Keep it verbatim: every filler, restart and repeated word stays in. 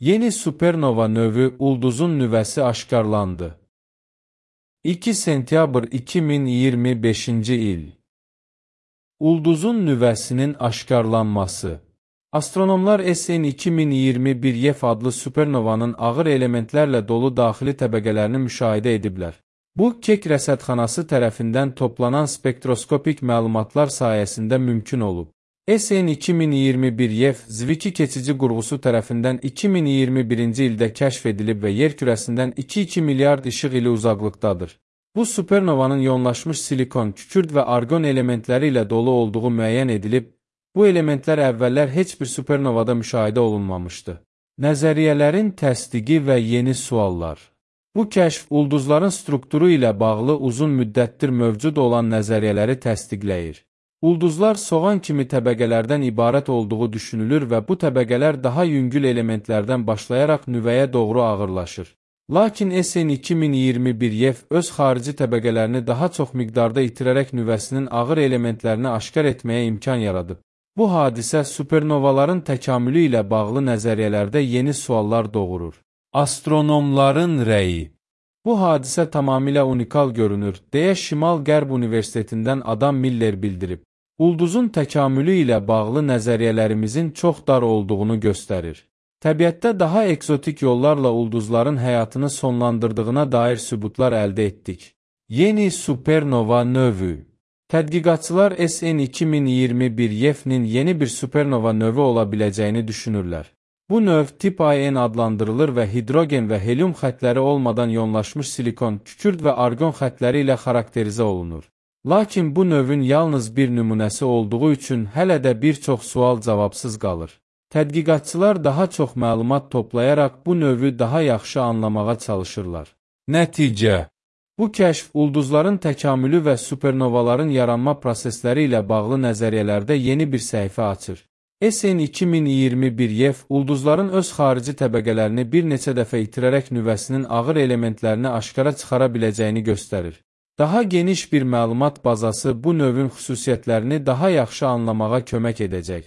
Yeni supernova növü ulduzun nüvəsi aşkarlandı. iki sentyabr iki min iyirmi beşinci il. Ulduzun nüvəsinin aşkarlanması. Astronomlar S N iki min iyirmi bir Y E F adlı supernovanın ağır elementlərlə dolu daxili təbəqələrini müşahidə ediblər. Bu, Keck rəsədxanası tərəfindən toplanan spektroskopik məlumatlar sayəsində mümkün olub. S N iki min iyirmi bir Y E F, Zwicky keçici qurğusu tərəfindən iki min iyirmi birinci ildə kəşf edilib və yer kürəsindən iki nöqtə iki milyard işıq ili uzaqlıqdadır. Bu supernovanın yoğunlaşmış silikon, kükürd və argon elementləri ilə dolu olduğu müəyyən edilib, bu elementlər əvvəllər heç bir supernovada müşahidə olunmamışdı. Nəzəriyyələrin təsdiqi və yeni suallar. Bu kəşf, ulduzların strukturu ilə bağlı uzun müddətdir mövcud olan nəzəriyyələri təsdiqləyir. Ulduzlar soğan kimi təbəqələrdən ibarət olduğu düşünülür və bu təbəqələr daha yüngül elementlərdən başlayaraq nüvəyə doğru ağırlaşır. Lakin S N iki min iyirmi bir Y E F öz xarici təbəqələrini daha çox miqdarda itirərək nüvəsinin ağır elementlərini aşkar etməyə imkan yaradıb. Bu hadisə supernovaların təkamülü ilə bağlı nəzəriyyələrdə yeni suallar doğurur. Astronomların rəyi. Bu hadisə tamamilə unikal görünür, deyə Şimal-Qərb Universitetindən Adam Miller bildirib. Ulduzun təkamülü ilə bağlı nəzəriyyələrimizin çox dar olduğunu göstərir. Təbiətdə daha ekzotik yollarla ulduzların həyatını sonlandırdığına dair sübutlar əldə etdik. Yeni supernova növü. Tədqiqatçılar S N iki min iyirmi bir Y E F-nin yeni bir supernova növü ola biləcəyini düşünürlər. Bu növ tip I N adlandırılır və hidrogen və helium xətləri olmadan yoğunlaşmış silikon, kükürd və argon xətləri ilə xarakterizə olunur. Lakin bu növün yalnız bir nümunəsi olduğu üçün hələ də bir çox sual cavabsız qalır. Tədqiqatçılar daha çox məlumat toplayaraq bu növü daha yaxşı anlamağa çalışırlar. Nəticə. Bu kəşf, ulduzların təkamülü və supernovaların yaranma prosesləri ilə bağlı nəzəriyyələrdə yeni bir səhifə açır. S N iki min iyirmi bir Y E F, ulduzların öz xarici təbəqələrini bir neçə dəfə itirərək nüvəsinin ağır elementlərini aşkara çıxara biləcəyini göstərir. Daha geniş bir məlumat bazası bu növün xüsusiyyətlərini daha yaxşı anlamağa kömək edəcək.